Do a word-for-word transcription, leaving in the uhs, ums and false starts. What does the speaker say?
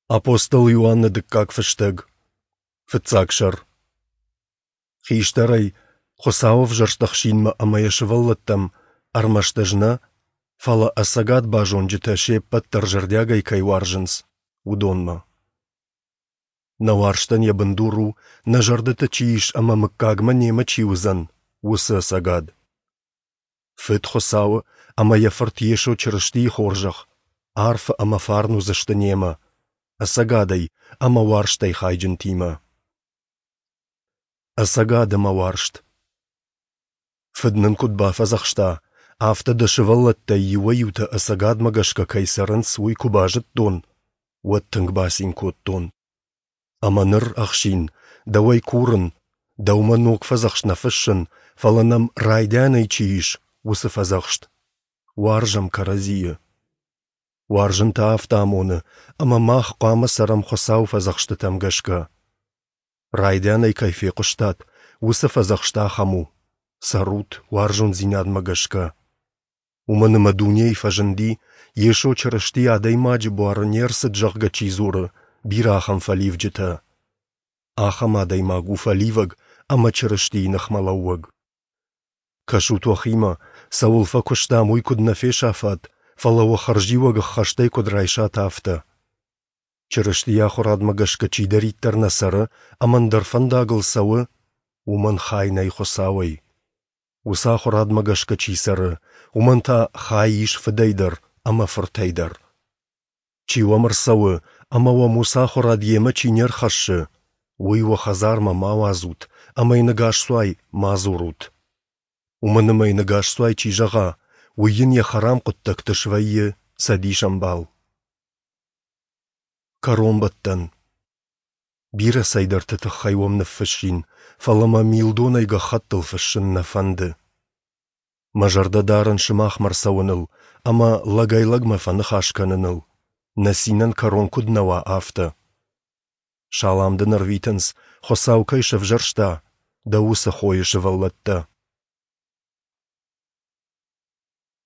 Апостол Иоанны дыккаг фыстӕг, фыццаг сӕр. Хистӕрӕй, Хуыцауы ӕвзӕрст ӕхсинмӕ ӕмӕ йӕ сывӕллӕттӕм, ӕрмӕст ӕз нӕ, фӕлӕ ӕцӕгад базонджытӕ се ппӕт дӕр зӕрдиагӕй кӕй уарзынц, уыдонмӕ. Нӕ уарзтӕн йӕ бындур у, нӕ зӕрдӕты чи ис ӕмӕ мыггагмӕ немӕ чи уыдзӕн, уыцы ӕцӕгад. Фыд Хуыцауы ӕмӕ йӕ Фырт Йесо Чырыстийы хорзӕх, арфӕ ӕмӕ фарн уыдзысты немӕ, ӕцӕгадӕй ӕмӕ уарзтӕй хайджынтимӕ. Ӕцӕгад ӕмӕ уарзт. Фыд нын куыд бафӕдзӕхста, афтӕ дӕ сывӕллӕттӕй иуӕй-иутӕ ӕцӕгадмӕ гӕсгӕ кӕй цӕрынц, уый куы базыдтон, уӕд тынг бацин кодтон. Ӕмӕ ныр, ӕхсин, дӕуӕй курын, дӕумӕ ног фӕдзӕхст нӕ фыссын, фӕлӕ нӕм райдианӕй чи ис, уыцы фӕдзӕхст. Уарзӕм кӕрӕдзийы. Уарзын та афтӕ амоны, ӕмӕ мах хъуамӕ цӕрӕм Хуыцауы фӕдзӕхстытӕм гӕсгӕ. Райдианӕй кӕй фехъуыстат, уыцы фӕдзӕхст ахӕм у: цӕрут уарзондзинадмӕ гӕсгӕ. Уымӕн ӕмӕ дунейы фӕзынди, Йесо Чырысти адӕймаджы буары не рцыд, зӕгъгӕ, чи дзуры, бирӕ ахӕм фӕливджытӕ. Ахӕм адӕймаг у фӕливӕг ӕмӕ Чырыстийы ныхмӕлӕууӕг. Кӕсут уӕхимӕ, цӕуыл фӕкуыстам, уый куыд нӕ фесафат, фӕлӕ уӕ хӕрзиуӕг ӕххӕстӕй куыд райсат, афтӕ. Чырыстийы ахуырадмӕ гӕсгӕ чидӕриддӕр нӕ цӕры ӕмӕ ӕндӕр фӕндагыл цӕуы, уымӕн хай нӕй Хуыцауӕй. Уыцы ахуырадмӕ гӕсгӕ чи цӕры, уымӕн та хай ис Фыдӕй дӕр ӕмӕ Фыртӕй дӕр. Чи уӕм ӕрцӕуы ӕмӕ уӕм уыцы ахуырад йемӕ чи не рхӕссы, уый уӕ хӕдзармӕ ма уадзут ӕмӕ йын ӕгасцуай ма дзурут. Уымӕн ӕмӕ йын ӕгасцуай чи зӕгъа, уый йын йӕ хӕрам хъуыддӕгты свӕййы цӕдисӕмбал. Кӕронбӕттӕн. Бирӕ цӕйдӕрты тыххӕй уӕм ныффыссин, фӕлӕ мӕ милдонӕй гӕххӕттыл фыссын нӕ фӕнды. Мӕ зӕрдӕ дарын сымахмӕ ӕрцӕуыныл ӕмӕ лӕгӕй-лӕгмӕ фӕныхас кӕныныл, нӕ цинӕн кӕрон куыд нӕ уа, афтӕ. Салам дын ӕрвитынц, Хуыцау кӕй сӕвзӕрста, дӕ уыцы хойы сывӕллӕттӕ.